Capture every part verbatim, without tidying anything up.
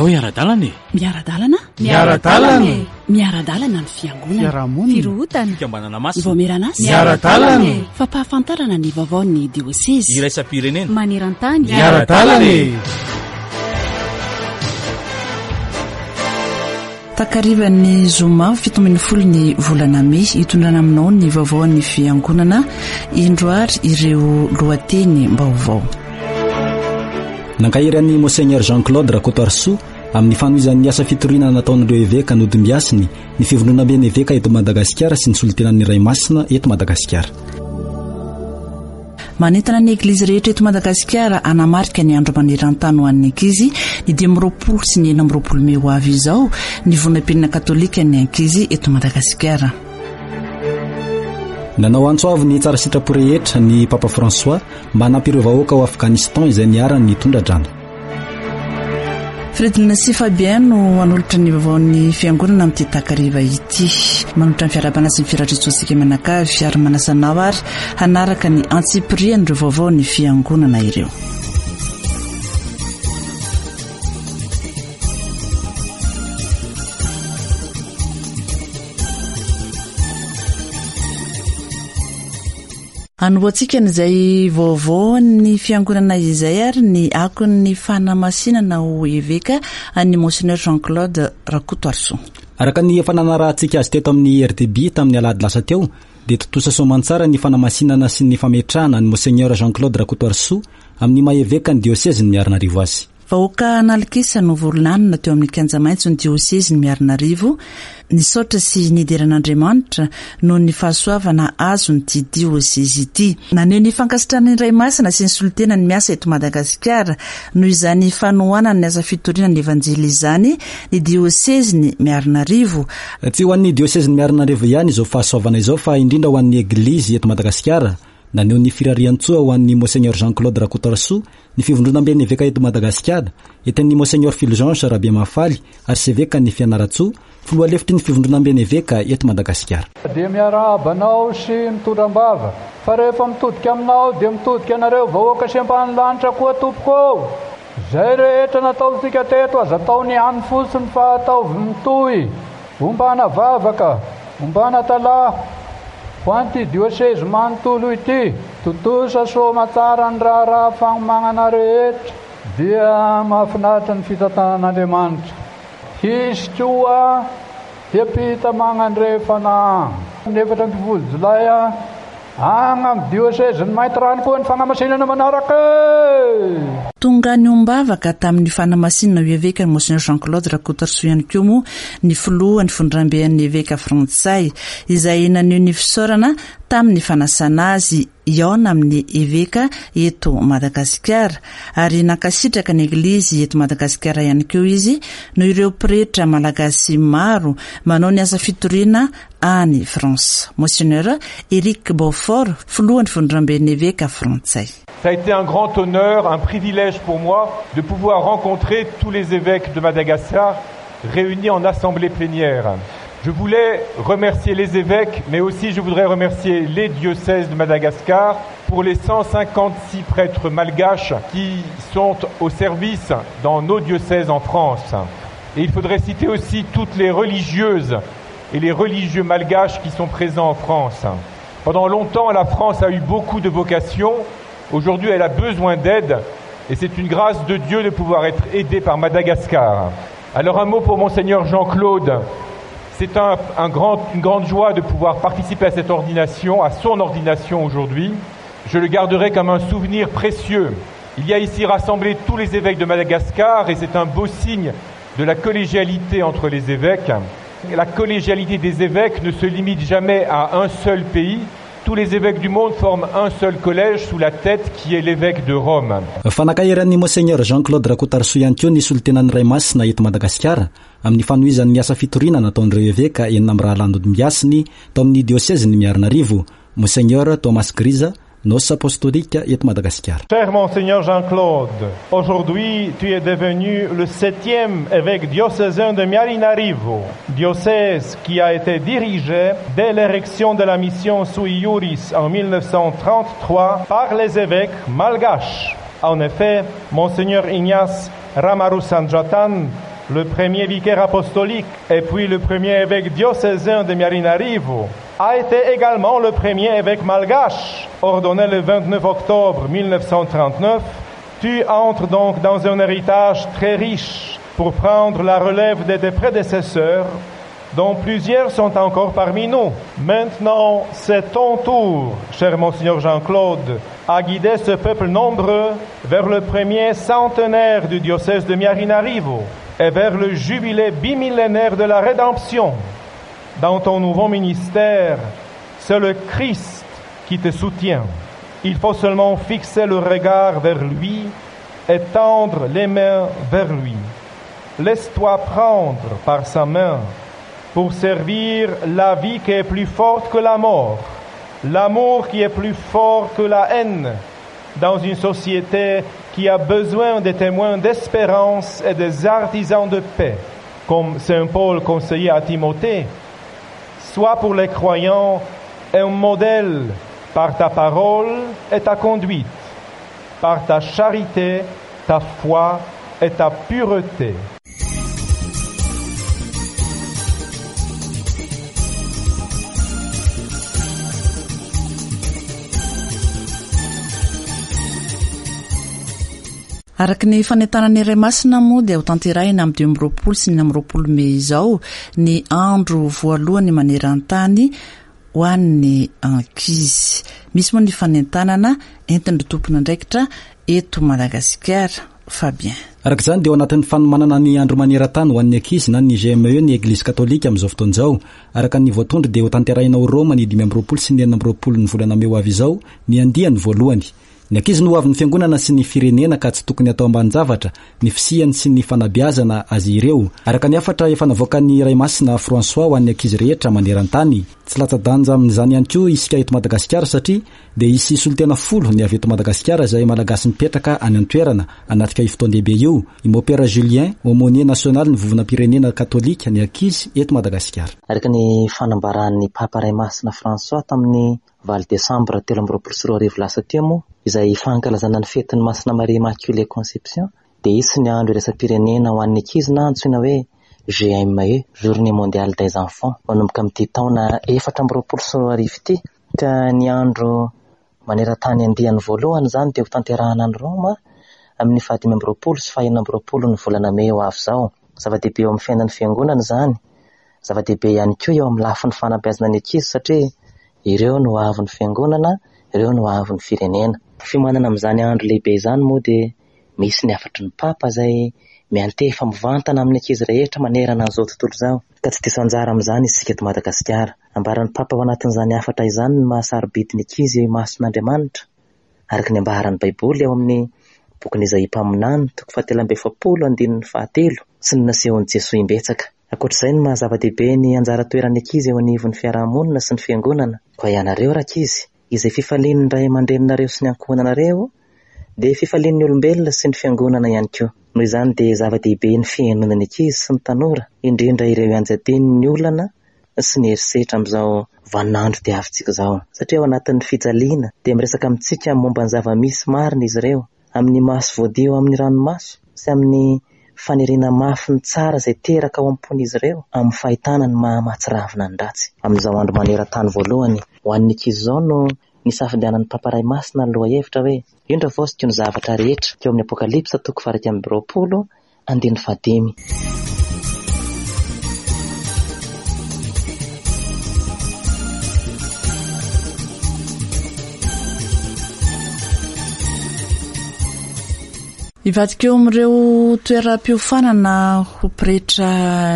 Ndao hiara-dalana e! Miara-dalana? Miara-dalana e! Miara-dalana ny fiangonana. Fiarahamonina. Firohotana. Fikambanana masina. Vaomieran'asa. Miara-dalana e! Fampahafantarana ny vaovaon'ny diosezy. Iraisam-pirenena. Maneran-tany. Miara-dalana e! Takarivan'ny zoma fito ambin'ny folo ny volana mey, hitondrana aminao ny vaovaon'ny fiangonana, indro ary ireo lohateny vaovao. Nankahery an'i Monseigneur Jean-Claude Rakotoarisoa amin'ny fanohizan'ny asa fitoriana nataon'ireo eveka nodimbiasiny ny fivondronamben'ny eveka eto Madagasikara sy ny solontenan'ny Ray Masina eto Madagasikara. Manentana ny eglizy rehetra eto Madagasikara hanamarika ny andro maneran-tany ho an'ny ankizy ny dimy amby roapolo sy ny enina amby roapolo mey ho avy izao ny vonam-pirenena katolika ny ankizy eto Madagasikara. Nanao antso avo ny tsara sitrapo rehetra ny Papa François mba hanampy ireo vahoaka ao Afghanistan izay niharan'ny tondra-drano. Fredina sy Fabien no hanolotra ny vaovaon'ny fiangonana amin'ity takariva ity. Manolotra ny fiarahabana sy ny firariantsoantsika mianakavy ary manasa anao ary hanaraka ny antsipirian'ireo vaovaon'ny fiangonana ireo. Hanombohantsika an'izay vaovaon'ny fiangonana izay ary ny akon'ny fanamasinana ho eveka an'ny Monseigneur Jean-Claude Rakotoarisoa. Araka ny efa nanarahantsika azy teto amin'ny R T B tamin'ny alahady lasa teo, dia tontosa soamantsara ny fanamasinana sy ny fametrahana ny Monseigneur Jean-Claude Rakotoarisoa amin'ny maha eveka ny diosezin'ny Miarinarivo azy. Vahoaka an'alikisa no voalanona teo amin'ny kianja maitso ny diosezin'ny Miarinarivo, nisaotra sy nidera an'Andriamanitra noho ny fahasoavana azon'ity diosezy ity. Naneho ny fankasitrahana ny Ray Masina sy ny solontenany miasa eto Madagasikara noho izany fanohanana ny asa fitoriana ny Evanjely izany ny diosezin'ny Miarinarivo. Tsy ho an'ny diosezin'ny Miarinarivo ihany izao fahasoavana izao fa indrindra ho an'ny Eglizy eto Madagasikara. Naneho ny firariantsoa ho an'ny Monseigneur Jean-Claude Rakotoarisoa ny fivondronamben'ny eveka eto Madagasikara, entin'ny Monseigneur Fulgence Rabiamahafaly, arsevekan'ny Fianarantsoa, filoha lefitry ny fivondronamben'ny eveka eto Madagasikara. Dia miarahaba anao sy mitondra am-bava, fa rehefa mitodika aminao dia mitodika anareo vahoaka sy ampahan'ny lanitra koa tompoko. Izay rehetra nataontsika teto aza atao ny hany fotsiny fa ataovy mitohy, ombana vavaka, ombana talaha, ho an'ity diosezy manontolo ity, tontosa soamantsara ny raharaha fagnomanana rehetra, dia mahafinaritra ny fitantanan'Andriamanitra. Hisy koa hiampita magnandrefana ny efatra ambin'ny folo jolay agny amin'ny diosezin'ny Maintirano koa ny fanamasinana manaraka. Tonga niombavaka tamin'ny fanamasinana ho eveka ny Monseigneur Jean-Claude Rakotoarisoa ihany koa moa ny filohan'ny fivondronamben'ny eveka frantsay izay naneho ny fisaorana tamin'ny fanasana azy hihaona amin'ny eveka eto Madagasikara ary nankasitraka ny eglizy eto Madagasikara ihany koa izy noho ireo pretra malagasy maro manao ny asa fitoriana any France. Monseigneur Eric Beaufort, filohan'ny fivondronamben'ny eveka frantsay. Ça a été un grand honneur, un privilège pour moi de pouvoir rencontrer tous les évêques de Madagascar réunis en assemblée plénière. Je voulais remercier les évêques, mais aussi je voudrais remercier les diocèses de Madagascar pour les cent cinquante-six prêtres malgaches qui sont au service dans nos diocèses en France. Et il faudrait citer aussi toutes les religieuses et les religieux malgaches qui sont présents en France. Pendant longtemps, la France a eu beaucoup de vocations. Aujourd'hui, elle a besoin d'aide et c'est une grâce de Dieu de pouvoir être aidée par Madagascar. Alors un mot pour Monseigneur Jean-Claude. C'est un, un grand, une grande joie de pouvoir participer à cette ordination, à son ordination aujourd'hui. Je le garderai comme un souvenir précieux. Il y a ici rassemblé tous les évêques de Madagascar et c'est un beau signe de la collégialité entre les évêques. La collégialité des évêques ne se limite jamais à un seul pays. Tous les évêques du monde forment un seul collège sous la tête qui est l'évêque de Rome. Fa nankahery Monseigneur Jean-Claude Rakotoarisoa ihany koa ny solontenan'ny Ray Masina eto Madagasikara amin'ny fanohizan'ny asa fitoriana nataon'ireo eveka enina amby rahalahy nodimbiasiny tao amin'ny diosezin'ny Miarinarivo, Monseigneur Thomas Grisa, nonce apostolique eto Madagasikara. Cher Monseigneur Jean-Claude, aujourd'hui tu es devenu le septième évêque diocésain de Miarinarivo, diocèse qui a été dirigé dès l'érection de la mission sui juris en mille neuf cent trente-trois par les évêques malgaches. En effet, Monseigneur Ignace Ramarosandratan le premier vicaire apostolique et puis le premier évêque diocésain de Miarinarivo, a été également le premier évêque malgache, ordonné le vingt-neuf octobre mille neuf cent trente-neuf. Tu entres donc dans un héritage très riche pour prendre la relève de tes prédécesseurs, dont plusieurs sont encore parmi nous. Maintenant, c'est ton tour, cher Monseigneur Jean-Claude, à guider ce peuple nombreux vers le premier centenaire du diocèse de Miarinarivo et vers le jubilé bimillénaire de la rédemption. Dans ton nouveau ministère, c'est le Christ qui te soutient. Il faut seulement fixer le regard vers lui et tendre les mains vers lui. Laisse-toi prendre par sa main pour servir la vie qui est plus forte que la mort, l'amour qui est plus fort que la haine, dans une société qui a besoin des témoins d'espérance et des artisans de paix, comme saint Paul conseillait à Timothée. Sois pour les croyants un modèle par ta parole et ta conduite, par ta charité, ta foi et ta pureté. Araka ny fanentanana iray masina moa dia ho tanterahina amin'ny dimy amby roapolo sy ny amby roapolo mey izao ny andro voalohany maneran-tany ho an'ny ankizy. Misy moa ny fanentanana entin'ny tompon'andraikitra eto Madagasikara. Fabien. Araka izany dia ao anatin'ny fanomanana ny andro maneran-tany ho an'ny ankizy na ny G M E ny Eglizy Katolika amin'izao fotoana izao. Araka ny voatondro dia ho tanterahina ao Roma ny dimy amby roapolo sy ny enina amby roapolo ny volana mey ho avy izao ny andiany voalohany. Ny ankizy no ho avin'ny fiangonana sy ny firenena ka tsy tokony atao ambanin-javatra ny fisiany sy ny fanabeazana azy ireo. Araka ny hafatra efa navoakan'ny Ray Masina François ho an'ny ankizy rehetra maneran-tany. Tsy latsa-danja amin'izany ihany koa isika eto Madagasikara satria dia hisy solontena folo ny avy eto Madagasikara izay malagasy mipetraka any an-toerana anatrika io fotoan-dehibe io. I Mopera Julien, aumônier national ny vovonam-pirenena katolika ny ankizy eto Madagasikara. Araka ny fanambaran'ny Papa Ray Masina François tamin'ny valo desambra telo amby roapolo sy roa arivo lasa teo moa, izay fankalazana ny fetin'ny Masina Maria Immaculée Conception, dia hisy ny andro iraisam-pirenena ho an'ny ankizy na antsoina hoe G M E, Journée mondiale des enfants, manomboka amin'ity taona efatra amby roapolo sy roa arivo ity. Ka ny andro maneran-tany andiany voalohany izany dia ho tanterahana any Roma amin'ny fahadimy amby roapolo sy fahenina amby roapolo ny volana mey ho avy izao. Zava-dehibe eo amin'ny fiainan'ny fiangonana izany, zava-dehibe ihany koa eo amin'ny lafiny fanabeazana ny ankizy satria ireo no avin'ny fiangonana, ireo no avin'ny firenena. Fiomanana amin'izany andro lehibe izany moa dia misy ny hafatry ny Papa izay miantefa mivantana amin'ny ankizy rehetra manerana an'izao tontolo izao. Ka tsy diso anjara amin'izany isika eto Madagasikara. Ambaran'ny Papa ao anatin'izany hafatra izany ny mahasarobidy ny ankizy eo imason'Andriamanitra, araka ny ambaran'ny Baiboly ao amin'ny bokin'i Izaia mpaminany toko fahatelo amby efapolo andininy fahatelo sy ny nasehon'i Jesoa imbetsaka. Ankoatr'izay ny maha-zava-dehibe ny anjara toeran'ny ankizy eo anivon'ny fiarahamonina sy ny fiangonana. Koa ianareo rankizy, izay fifalian'ny ray aman-dreninareo sy ny ankohonanareo dia fifalian'ny olombelona sy ny fiangonana ihany koa. Noho izany dia zava-dehibe ny fihainoana ny ankizy sy ny tanora, indrindra ireo ianjadian'ny olana sy ny herisetra amin'izao vaninandro diavintsika izao. Satria ao anatin'ny fijaliana dia miresaka amintsika momba ny zava-misy marina izy ireo, amin'ny maso voadio amin'ny ranomaso sy amin'ny faniriana mafy ny tsara izay teraka ao am-pon'izy ireo, amin'ny fahitana ny maha-mahatsiravina ny ratsy. Amin'izao andro maneran-tany voalohany ho an'ny ankizy izao no nisafidianan'ny Papa Ray Masina ny lohahevitra hoe indro voasiko ny zavatra rehetra, teo amin'ny Apokalypsa toko faha-iraika amby roapolo andininy fahadimy. Hivadika eo amin'ireo toeram-piofanana ho pretra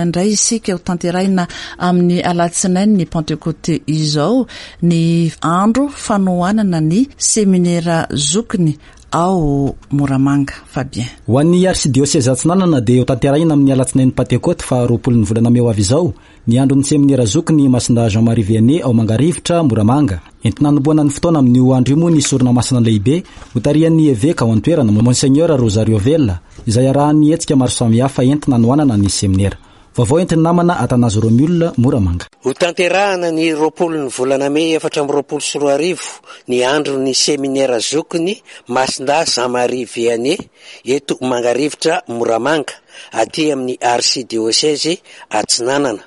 indray isika ho tanterahina amin'ny alatsinainy ny Pentekote izao ny andro fanohanana ny seminera zokiny ao Moramanga. Fabien. Ho an'ny arsidioseza Atsinanana dia ho tanterahina amin'ny alatsinainy Pentekote faha roapolo ny volana mey ho avy izao ny andron'ny seminera zokiny Masina Jean-Marie Vianney ao Mangarivotra Moramanga. Entina hanombohana ny fotoana amin'io andro io moa ny sorona masina lehibe hotarihan'ny eveka ao an-toerana Monseigneur Rosario Vella, izay arahan'ny hetsika maro samihafa entina hanohanana ny seminera. Vaovao entin'ny namana Atanazy Romiolona Moramanga. Ho tanterahana ny roapolo ny volana mey efatra amby roapolo sy roa arivo ny andron'ny seminera zokiny Masindahy Jean Marie Vianney eto Mangarivotra Moramanga aty amin'ny archidiocèse Atsinanana.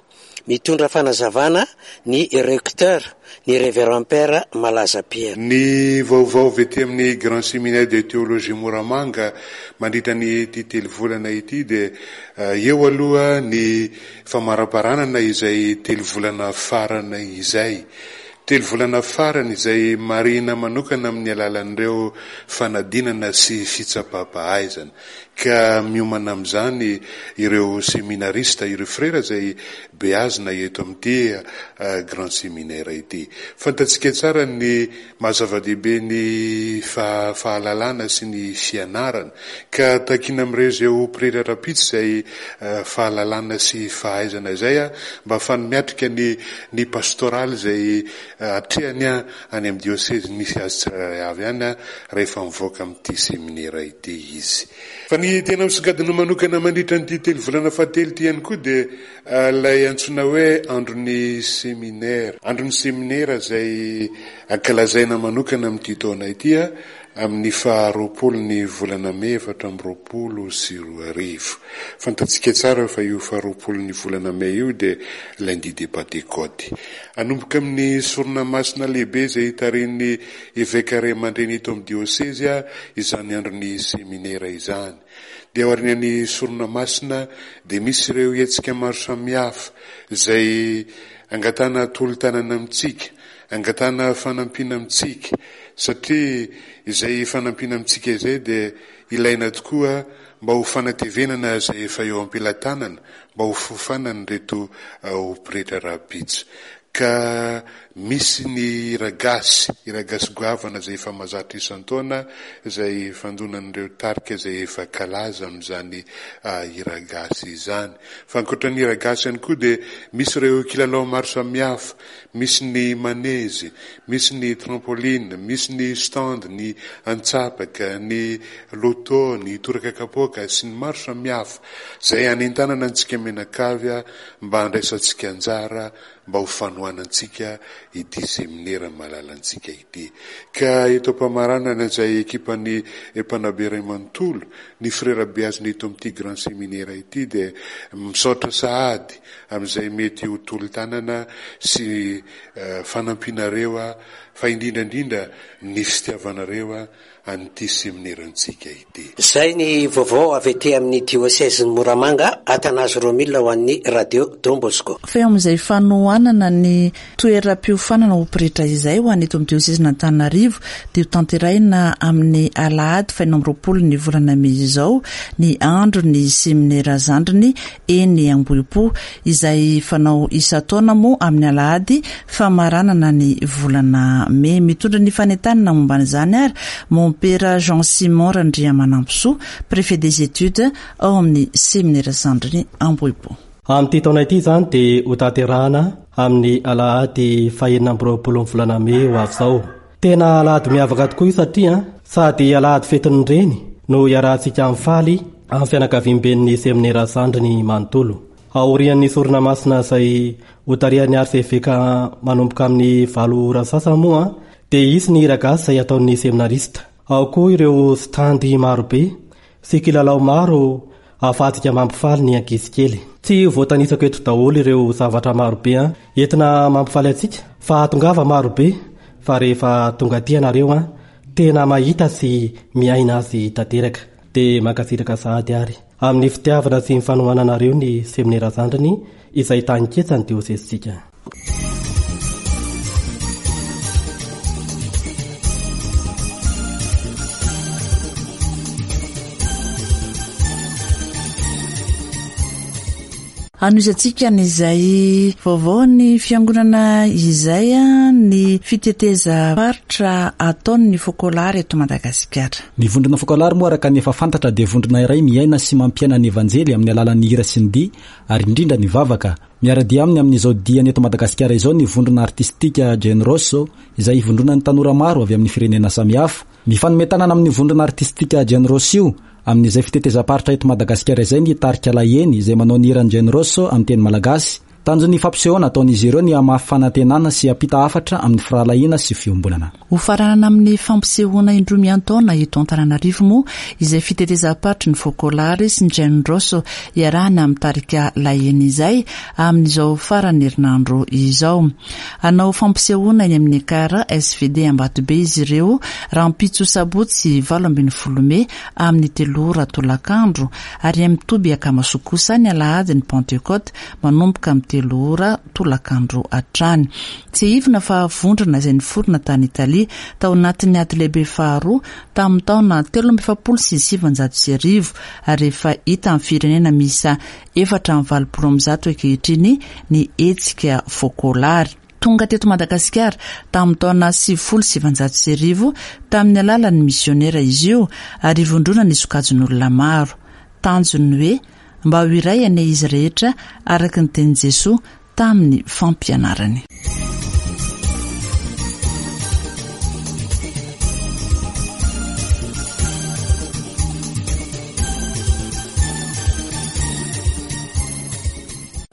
Mitondra fanazavana ny recteur, ny révérend père Malaza Pierre. Ny vaovao avy aty amin'ny Grand Séminaire de Théologie Moramanga mandritra ny ity telo volana ity dia eo aloha ny famaraparanana izay telo volana farany izay. Telo volana farany izay marihina manokana amin'ny alalan'ireo fanadinana sy fitsapam-pahaizana. Ka miomana amin'izany ireo seminarista, ireo frera izay beazina eto amin'ity Grand Séminaire ity. Fantatsika tsara ny maha-zava-dehibe ny fahalalana sy ny fianarana. Ka takiana amin'ireo izay ho pretra rahampitso izay fahalalana sy fahaizana izay mba ahafahany miatrika ny ny pastoraly izay atrehany any amin'ny diocèse misy azy tsirairay avy any rehefa mivoaka amin'ity seminera ity izy. Fa ny tena misongadina manokana mandritra an'ity telo volana fahatelo ity ihany koa dia ilay antsoina hoe andron'ny seminera. Andron'ny seminera izay ankalazaina manokana amin'ity taona ity amin'ny faharoapolo ny volana mey efatra amby roapolo sy roa arivo. Fantatsika tsara fa io faharoapolo ny volana mey io dia lundi de Pentecôte. Anomboka amin'ny sorona masina lehibe izay tarihin'ny eveka ray aman-dreny eto amin'ny diocèse izany andron'ny seminera izany. Dia aorian'ny sorona masina dia misy ireo hetsika maro samihafa izay angatahana tolo-tanana amintsika, angatahana fanampiana amintsika, satria izay fanampiana amintsika izay dia ilaina tokoa mba ho fanatevenana izay efa eo am-pelatanana, mba ho fofanan'ireto ho pretra rahampitso. Ka misy ny hira gasy, hira gasy goavana izay efa mahazatra isan-taona, izay fandonan'ireo tarika izay efa kalaza amin'izany hira gasy izany. Fa ankoatra ny hira gasy ihany koa dia misy ireo kilalao maro samihafa, misy ny manezy, misy ny trampoline, misy ny stand, ny antsapaka, ny loto, ny toraka kapoaka sy ny maro samihafa izay anentanana antsika mianakavy mba handraisantsika anjara mba ho fanohanantsika ity seminera malalantsika ity. Ka eto am-pamaranana izay ekipan'ny mpanabe iray manontolo, ny frera beazina eto amin'ity Grand Séminaire ity dia misaotra sahady amin'izay mety ho tolo-tanana sy fanampianareo, fa indrindra indrindra ny fitiavanareo an'ity seminerantsika ity. Izay ny vaovao avy aty amin'ny diocèse Moramanga, Atanazy Romila ho an'ny Radio Don Bosco. Fa eo amin'izay fanohanana ny toeram-piofanana ho pretra izay ho an'ny eto amin'ny diocèse Antananarivo dia ho tanterahina amin'ny alahady fahenina amby roapolo ny volana mey izao ny andro ny seminera zandriny eny Ambohipo izay fanao isan-taona moa amin'ny alahady famaranana ny volana mey. Mitondra ny fanentanana momba an'izany ary Mompera Jean Simon Randriamanampisoa, préfet des études ao amin'ny seminera zandriny Ambohipo. Amin'ity taona ity izany dia ho tanterahana amin'ny alahady fahenina amby roapolo ny volana mey ho avy izao. Tena alahady miavaka tokoa io satria sady alahady fetin'ny reny no iarahantsika mifaly amin'ny fianakaviamben'ny seminera zandriny manontolo. Aorian'ny sorona masina izay hotarihan'ny arseveka manomboka amin'ny valo ora sasany moa dia hisy ny hira gasy izay ataon'ny seminarista. Ao koa ireo standy marobe sy kilalao maro ahafahantsika mampifaly ny ankizy kely. Tsy voatanisako eto daholo ireo zavatra marobe entina mampifaly antsika fa tongava marobe, fa rehefa tonga aty ianareo tena mahita sy miaina azy tanteraka. Dia mankasitraka sahady ary amin'ny fitiavana sy ny fanohananareo ny seminera zandriny izay tany-ketsa ny diosesintsika. Anohizantsika an'izay vaovao ny fiangonana izay ny fitetezam-paritra ataon'ny Focolare eto Madagasikara. Ny vondrona Focolare moa araka ny efa fantatra dia vondrona iray miaina sy mampiaina ny evanjely amin'ny alalan'ny hira sy ny dihy ary indrindra ny vavaka. Miara-dia aminy amin'izao diany eto Madagasikara izao ny vondrona artistika Jane Rosso izay ivondronan'ny tanora maro avy amin'ny firenena samihafa. Mifanome tanana amin'ny vondrona artistika Jane Rosso io Amin'izay fitetezam-paritra eto Madagasikara izay ny tarika Laheny izay manao ny hiran'i Jane Ross amin'ny teny malagasy. Tanjon'ny fampisehoana ataon'izy ireo ny hamafy fanantenana sy hampita hafatra amin'ny firahalahiana sy fiombonana. Ho faranana amin'ny fampisehoana indroa miantaona eto Antananarivo moa izay fitetezam-paritry ny Focolare sy ny Jane Ross iarahana amin'ny tarika Laheny izay amin'izao faran'ny herinandro izao. Hanao fampisehoana eny amin'ny Ekar S V D Ambatobe izy ireo rahampitso sabotsy valo ambin'ny folo mey amin'ny telo ora tolakandro ary amin'ny toby Akamasoa kosa ny alahady ny Pentecôte manomboka amin'ny telo ora tolakandro hatrany. Tsiahivina fa vondrona izay niforona tany Italia tao anatin'ny ady lehibe faharoa tamin'ny taona telo amby efapolo sy sivinjato sy arivo ary efa hita amin'ny firenena miisa efatra amby valopolo amby zato ankehitriny ny hetsika Focolare. Tonga teto Madagasikara tamin'ny taona sivifolo sy sivinjato sy arivo tamin'ny alalan'ny misionera izy io ary vondrona ny sokajin'olona maro. Tanjony hoe mba ho iray anie izy rehetra araka ny tenin'i Jesoa tamin'ny fampianarany.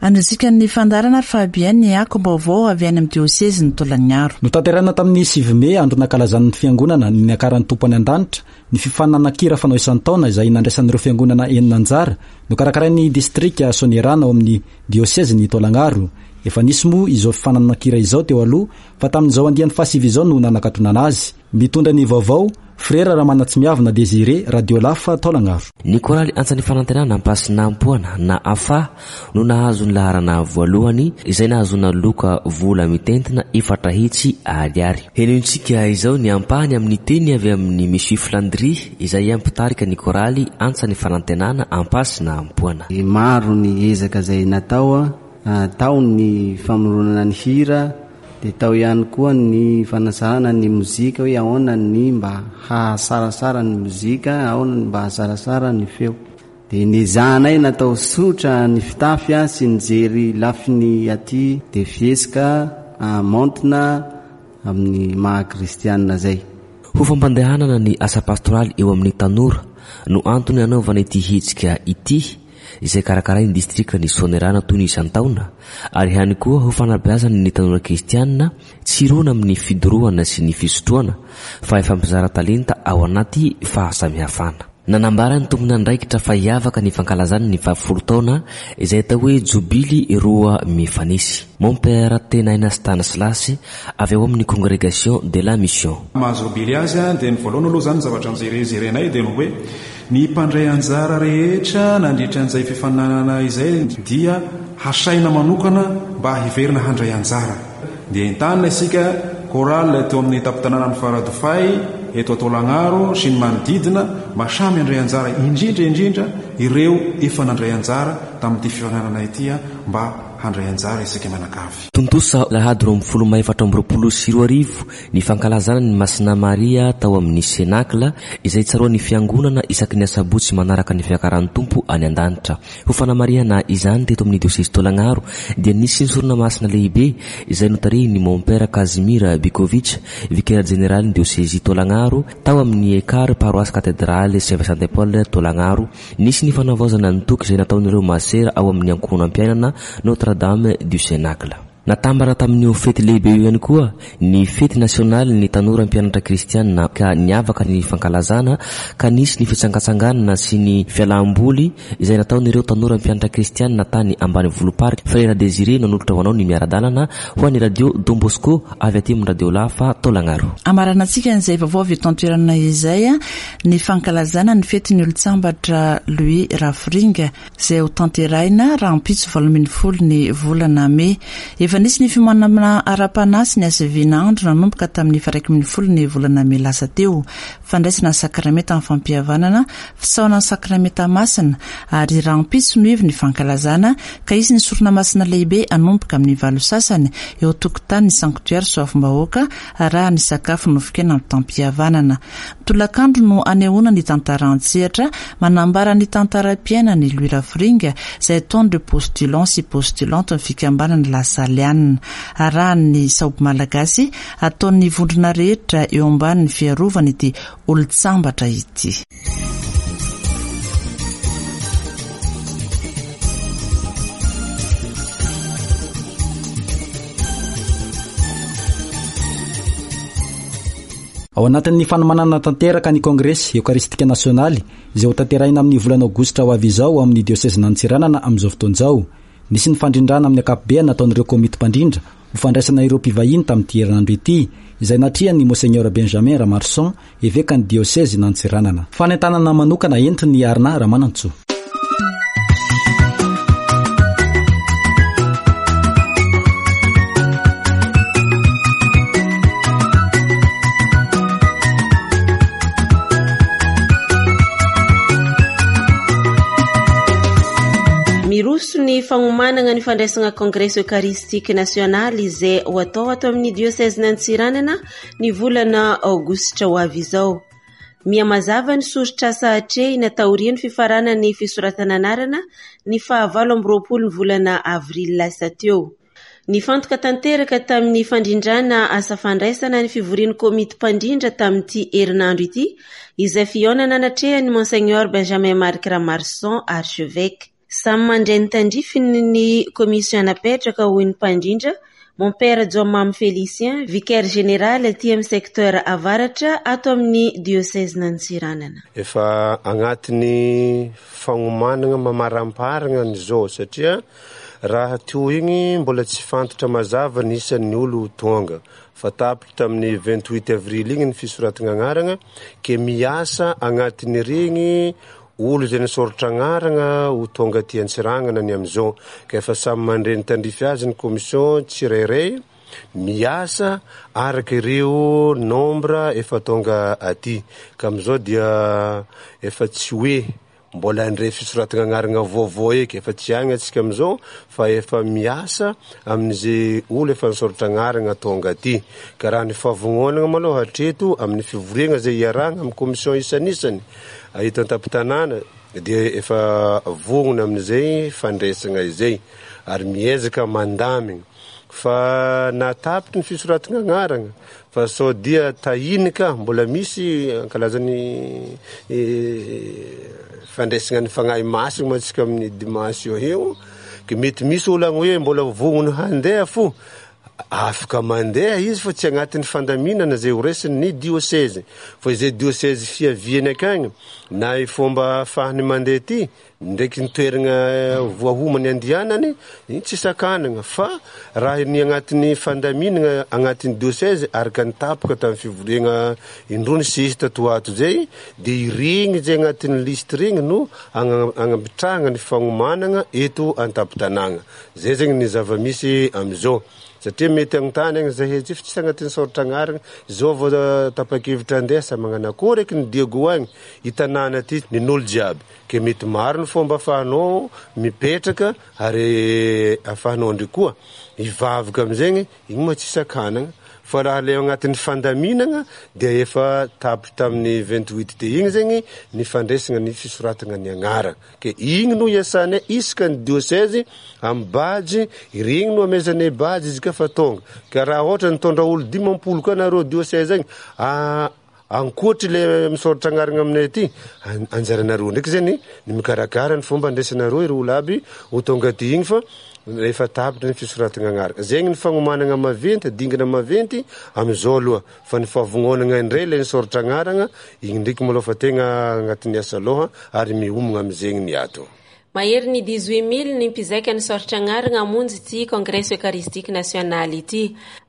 Andrasika ny fandaharana ary Fabien ny akom-baovao avy any amin'ny diosezin'ny Tolagnaro. Notanterahina tamin'ny sivy mey andro nankalazan'ny fiangonana ny niakaran'ny Tompo any an-danitra ny fifaninanana-kira fanao isan-taona izay nandraisan'ireo fiangonana enina anjara nokarakarain'ny distrika Soanierana ao amin'ny diosezin'ny Tolagnaro. Efa nisy moa izao fifaninanana-kira izao teo aloha fa tamin'izao andiany fahasivy izao no nanakatonana azy. Mitondra ny vaovao Frera Ramanatsimiavina Désiré Radio Lafa Tolagnaro. Ny koraly Antsan'ny Fanantenana Ampasinampoana na A F A no nahazo ny laharana voalohany izay nahazoana loka vola mitentina efatra hetsy ariary. Henointsika izao ny ampahany amin'ny teny avy amin'ny Monsieur Flandry izay mpitarika ny koraly Antsan'ny Fanantenana Ampasinampoana. Maro ny ezaka izay natao, tao ny famoronana ny hira, dia tao ihany koa ny fanasarana ny mozika hoe ahoana ny mba hahasarasara ny mozika, ahoana ny mba hahasarasara ny feo. Dia nezahanay natao tsotra ny fitafy sy nijery lafiny aty dia fihetsika maontina amin'ny maha kristianina zay. Ho fampandehanana ny asa pastoraly eo amin'ny tanora no antony anaovana ity hetsika ity izay karakarain'ny distrika ny Soanierana toy ny isan-taona ary ihany koa ho fanabeazana ny tanora kristianina tsy hirona amin'ny fidorohana sy ny fisotroana fa hifampizara talenta ao anaty fahasamihafana. Nanambara ny tompon'andraikitra fa hiavaka ny fankalazana ny fahafolo taona izay atao hoe jobily roa mifanesy. Mon père Tenaina Stanislas avy ao amin'ny Congrégation de la Mission. Mahazo jobily azy dia ny voalohany aloha zany zavatra nijerejerenay dia ny hoe ny mpandray anjara rehetra nandritra an'izay fifaninanana izay dia hasaina manokana mba hiverina handray anjara. Dia entanina isika chorale teo amin'ny tampon-tanànan'ny Faradofay eto Tolagnaro sy ny manodidina mba samy handray anjara, indrindra indrindra ireo efa nandray anjara tamin'ity fifaninanana ity mba handray anjara isika mianakavy. Tontosa alahady roa ambin'ny folo may efatra amby roapolo sy roa arivo ny fankalazana ny Masina Maria tao amin'ny Senakla izay tsaroan'ny fiangonana isaky ny asabotsy manaraka ny fiakaran'ny Tompo any an-danitra. Ho fanamarihana izany teto amin'ny diosezy Tolagnaro dia nisy ny sorona masina lehibe izay notarihin'ny Mon Père Casimir Bikovic, vicaire général ny diosezy Tolagnaro tao amin'ny Ekar paroisse cathédrale Saint Vincent de Paul Tolagnaro. Nisy ny fanavaozana ny toky izay nataon'ireo masera ao amin'ny ankohonam-piainana Notre-Dame du Cénacle. Natambara tamin'io fety lehibe io ihany koa ny fety nasionaly ny tanora mpianatra kristianina ka niavaka ny fankalazana ka nisy ny fitsangatsanganana sy ny fialamboly izay nataon'ireo tanora mpianatra kristianina tany ambanivolom-paritra. Frera Désiré nanolotra ho anao ny miara-dalana ho an'ny radio Don Bosco avy aty amin'ny radio Lafa Tolagnaro. Amaranantsika an'izay vaovao avy eto an-toerana izay ny fankalazana ny fetin'ny olon-tsambatra Louis Rafiringa izay ho tanterahina rahampitso valo ambin'ny folo ny volana mey. Efa nisy ny fiomanana ara-panahy sy ny hasavian'andro nanomboka tamin'ny faha-iraika ambin'ny folo ny volana mey lasa teo. Fandraisana ny sakramenta amin'ny fampihavanana, fisaonana ny sakramenta masina ary rahampitso no ivy ny fankalazana ka hisy ny sorona masina lehibe hanomboka amin'ny valo sasany eo an-tokotanin'ny sanctuaire Soavimbahoaka raha ny sakafo nofikaina amin'ny tampihavanana. Tolakandro no anehoana ny tantara an-tsehatra manambara ny tantaram-piainan'i Louis Rafiringa izay ataon'ireo postulant sy postulante ny fikambanana La Saliana. Arahan'ny saoby malagasy ataon'ny vondrona rehetra eo ambanin'ny fiarovana ity olon-tsambatra ity. Ao anatin'ny fanomanana tanteraka ny Kongresy Eokaristika Nasionaly izay hotanterahina amin'ny volana Aogositra ho avy izao ao amin'ny diosezin'Antsiranana amin'izao fotoana izao. Nisy ny fandrindrana amin'ny ankapobeny nataon'ireo komity mpandrindra ho fandraisana ireo mpivahiny tamin'ity herinandro ity, izay natrehan'ny Monseigneur Benjamin Ramarson, evekan'ny diosezin'Antsiranana. Fanentanana manokana entin'ny Arina Ramanantsoa. Miroso ny fagnomanana ny fandraisana Kongresy Eucharistique Nasionaly izay ho atao ato amin'ny diosezin'Antsiranana ny volana Aogositra ho avy izao. Mihamazava ny soritr'asa atrehina taorian'ny fifaranan'ny fisoratana anarana ny fahavalo amby roapolo ny volana avrily lasa teo. Nifantoka tanteraka tamin'ny fandrindrana asa fandraisana ny fivorian'ny komity mpandrindra tamin'ity herinandro ity izay fihaonana natrehan'ny Monseigneur Benjamin Marc Ramarson, archevêque. Samy mandray ny tandrifiny ny commission napetraka hoy ny mpandrindra Mompera Jaomamy Félicien, vicaire général aty amin'ny secteur avaratra ato amin'ny diosezin'Antsiranana. Efa agnatin'ny fagnomanana mamaramparana an'izao satria raha teo igny mbola tsy fantatra mazava ny isan'ny olo tonga. Fa tapitra tamin'ny vingt-huit avril igny ny fisoratana agnarana ke miasa agnatin'iregny olo izay nisoratra agnarana ho tonga aty Antsiranana ny amin'izao. Ka efa samy mandray ny tandrify azy ny commission tsirairay miasa araka ireo nombre efa tonga aty. Ka amin'izao dia efa tsy hoe mbola handray fisoratana agnarana vaovao eky, efa tsy agny antsika amin'izao fa efa miasa amin'izay olo efa nisoratra agnarana tonga aty. Ka raha ny fahavononana maloha hatreto amin'ny fivoriana izay iarahana amin'ny commission isanisany eto an-tampon-tanàna dia efa vonona amin'izay fandraisana izay ary miezaka mandamina. Fa natapitry ny fisoratana agnarana fa sao dia tahiny ka mbola misy ankalazany fandraisana ny fagnahy masina mantsika amin'ny dimanche eo eo ke mety misy olo agny hoe mbola vonona handeha fo afaka mandeha izy fa tsy agnatin'ny fandaminana izay ho raisin'ny diocèse. Fa izay diocèse fiaviany akagny na i fomba ahafahany mandeha ty ndraiky ny toerana voahomany andianany iny tsy sakanana fa raha ny agnatin'ny fandaminana agnatin'ny diocèse araka ny tapaka tamin'ny fivoriana indroa nisesy tato ato zay dia iregny zay agnatin'ny liste regny no agnapitrahana ny fagnomanana eto an-tampon-tanàna. Zay zegny ny zava-misy amizao. Satria mety agnontany agny zahay tsy fa tsy agnatin'ny soratra agnarana zao vao tapa-kevitra andeha sa magnano akory eky ny Diego agny i tanàna ty nin'olo jiaby ke mety maro ny fomba ahafahanao mipetraka ary ahafahanao ndry koa hivavaka amizegny igny moa tsy sakanana fa raha le agnatin'ny fandaminana dia efa tapitra tamin'ny vingt-huit te igny zegny ny fandraisana ny fisoratana ny agnarana ke igny no iasanay isaka ny diocèse amin'ny badge iregny no amezanay badge izy ka fa tonga ka raha ohatra nitondra olo dimampolo koa nareo diocèse agny ankoatry le misoratra agnarana aminay aty anjaranareo ndraiky zany ny mikarakara ny fomba andraisanareo ireo olo aby ho tonga aty igny fa efa tapitra ny fisoratana agnarana. Zegny ny fagnomanana maventy, dingana maventy amizao aloha fa ny fahavononana indray le nisoratra agnarana igny ndraiky maloha fa tegna agnatin'ny asa aloha ary miomagna amizegny ny ato. Mahery ny dix-huit mille ny mpizaika nisoratra agnarana hamonjy ity Kongresy Eucharistique Nasionaly ity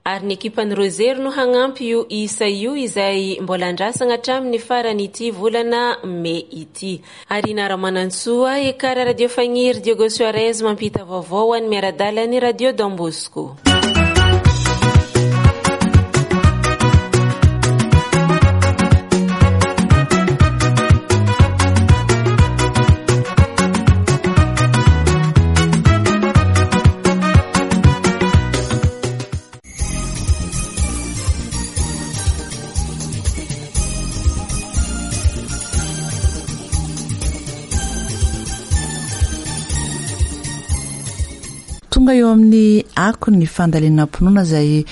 ary ny ekipan'ny Rozery no hagnampy io isa io izay mbola andrasana hatramin'ny farany ity volana mey ity. Arina Ramanantsoa, Ekara Radio Fagniry, Diego Suarez mampita vaovao any miara-dalany Radio Don Bosco. Tonga eo amin'ny ako ny fandalinam-pinoana izay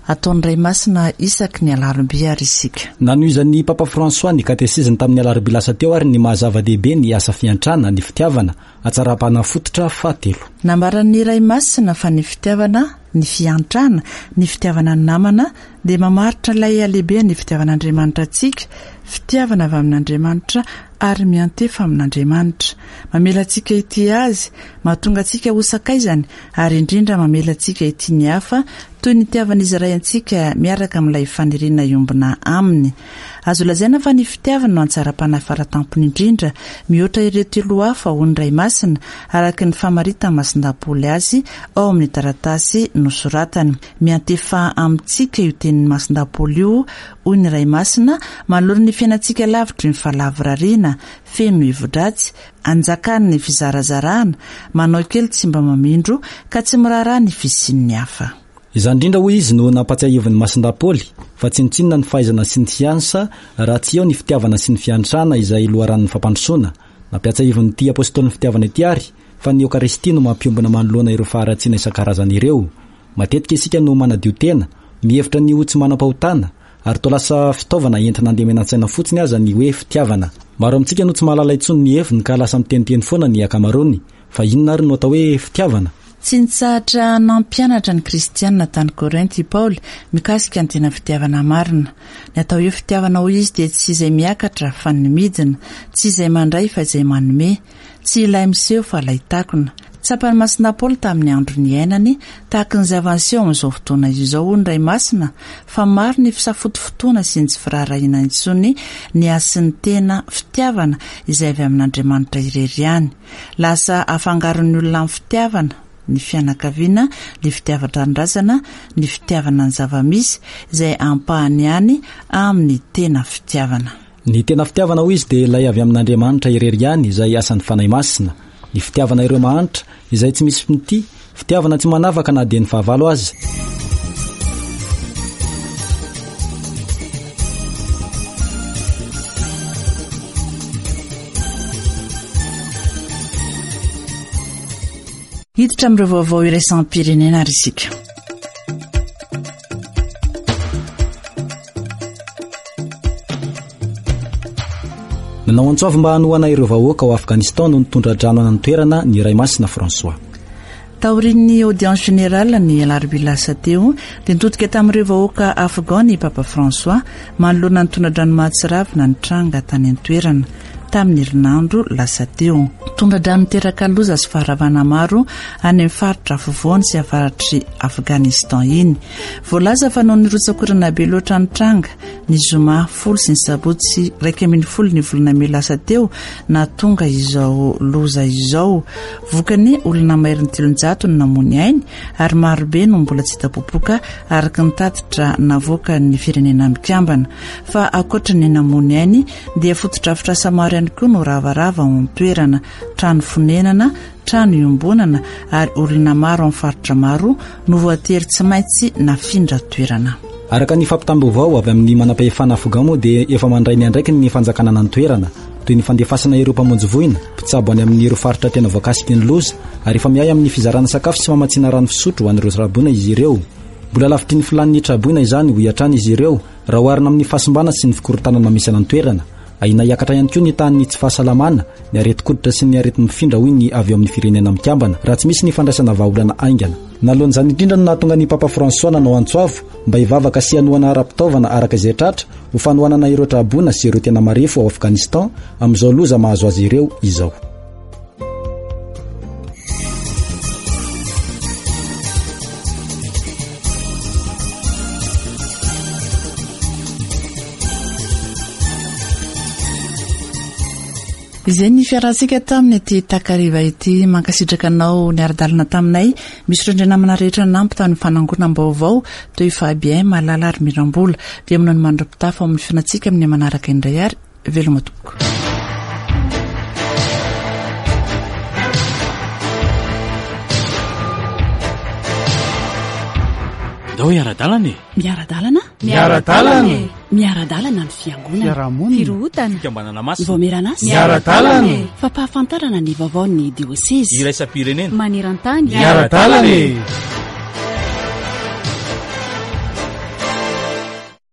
ataon'ny Ray Masina isaky ny alarobia ary isika. Nanohizan'ny Papa François ny katesiziny tamin'ny alarobia lasa teo ary ny maha-zava-dehibe ny asa fiantrana, ny fitiavana, hatsaram-panahy fototra fahatelo. Nambaran'ny Ray Masina fa ny fitiavana ny fiantrana, ny fitiavana ny namana dia mamaritra ilay halehiben'ny fitiavan'Andriamanitra antsika, fitiavana avy amin'Andriamanitra ary miantefa amin'Andriamanitra. Mamela antsika hitia azy, mahatonga antsika ho sakaizany ary indrindra mamela antsika hitia ny hafa toy ny itiavan'izy Ray antsika miaraka amin'ilay faniriana iombona aminy. Azo lazaina fa ny fitiavana no antsaram-panahy faratampony indrindra mihoatra ireo telo hafa ho ny Ray Masina, araka ny famaritan'i Masindahy Paoly azy ao amin'ny taratasy nosoratany. Miantefa amintsika io tenin'i Masindahy Paoly io, hoy ny Ray Masina, manoloana ny fiainantsika lavitry ny fahalavorariana, feno hevi-dratsy, anjakan'ny fizarazarana, manao kely tsy mba mamindro ka tsy miraharaha ny fisian'ny hafa. Izany indrindra hoy izy no nampatsiahivin'i Masindahy Paoly fa tsinontsinona ny fahaizana sy ny siansa raha tsy eo ny fitiavana sy ny fiantrana izay loharanon'ny fampandrosoana. Nampiatsahivin'ity apôstôlin'ny fitiavana ity ary fa ny Eokaristia no mampiombona manoloana ireo faharatsiana isan-karazany ireo. Matetika isika no manadio tena, mihevitra ny ho tsy manam-pahotana ary toa lasa fitaovana entina andemena an-tsaina fotsiny aza ny hoe fitiavana. Maro amintsika no tsy mahalala intsony ny heviny ka lasa miteniteny foana ny ankamaroany. Fa inona ary no atao hoe fitiavana? Tsy nitsahatra nampianatra ny kristianina tany Korinty i Paoly mikasika ny tena fitiavana marina. Ny atao hoe fitiavana hoy izy dia tsy izay miakatra fa ny midina, tsy izay mandray fa izay manome, tsy ilay miseho fa ilay takona. Tsapan'i Masindahy Paoly tamin'ny andro niainany, tahaka ny zava-niseho amin'izao fotoana izao hoy ny Ray Masina, fa maro ny fisafotofotoana sy ny tsy firaharahiana intsony ny hasin'ny tena fitiavana izay avy amin'Andriamanitra irery ihany. Lasa afangaron'ny olona amin'ny fitiavana ny fianakaviana, ny fitiavan-tanindrazana, ny fitiavana ny zava-misy izay ampahany ihany amin'ny tena fitiavana. Ny tena fitiavana hoy izy dia ilay avy amin'Andriamanitra irery ihany izay asan'ny Fanahy Masina. Ny fitiavana ireo mahantra izay tsy misy mitia, fitiavana tsy manavaka na dia ny fahavalo aza. Hiditra amin'ireo vaovao iraisam-pirenena ary isika. Nanao antso avo mba hanohana ireo vahoaka ao Afghanistan no nitondra-drano any an-toerana ny Ray Masina François. Taorian'ny audience générale ny alarobia lasa teo dia nitodika tamin'ireo vahoaka afghan ny Papa François manoloana ny tondra-drano mahatsiravina nitranga tany an-toerana tamin'ny herinandro lasa teo. Tondra-drano niteraka loza sy faharavana maro any amin'ny faritra afovoany sy avaratry Afghanistan iny. Voalaza fa noho ny rotsakorana be loatra nitranga ny zoma folo sy ny sabotsy iraika ambin'ny folo ny volana mey lasa teo nahatonga izao loza izao. Vokany olona maherin'ny telonjato no namoy ainy ary marobe no mbola tsy hita popoka araka ny tatitra navoakan'ny firenena mikambana. Fa ankoatra ny namoy ainy dia fotodrafitrasa maro ihany koa no ravarava ao an-toerana, trano fonenana, trano iombonana ary olona maro amin'ny faritra maro no voatery tsy maintsy nafindra toerana. Araka ny fampitam-baovao avy amin'ny manam-pahefana afghan moa dia efa mandray ny andraikiny ny fanjakana an-toerana toy ny fandefasana ireo mpamonjy voina, mpitsabo any amin'ireo faritra tena voakasiky ny loza ary efa miahy amin'ny fizarana sakafo sy famatsiana rano fisotro ho an'ireo traboina izy ireo. Mbola lavitry ny filan'ny traboina izany hoy hatrany izy ireo raha oharina amin'ny fahasimbana sy ny fikorontanana misy any an-toerana. Ahiana hiakatra ihany koa ny tahan'ny tsy fahasalamana, ny aretin-koditra sy ny areti-mifindra hoy ny avy eo amin'ny firenena mikambana raha tsy misy ny fandraisana vahaolana haingana. Naloan'izany indrindra no nahatonga ny Papa François nanao antso avo mba hivavaka sy hanohana ara-pitaovana araka izay tratra ho fanohanana ireo traboina sy ireo tena marefo ao Afghanistan amin'izao loza mahazo azy ireo izao. Izay ny fiarahantsika tamin'ny ity takariva ity. Mankasitraka anao niara-dalana taminay. Misy ireo namana rehetra nampy tamin'ny fanangonam-baovao toy Fabien, Malala ary Mirambola. Dia aminao ny mandra-pitafa amin'ny fiainantsika amin'ny manaraka indray ary veloma tompoko. Ndao hiara-dalana e. Miara-dalana? Miara-dalana e. Miara-dalana ny fiangonana. Fiarahamonina. Firohotana. Fikambanana masina. Vaomerana asa. Miara-dalana e. Fampahafantarana ny vaovaon'ny diosezy. Iraisam-pirenena. Maneran-tany. Miara-dalana e.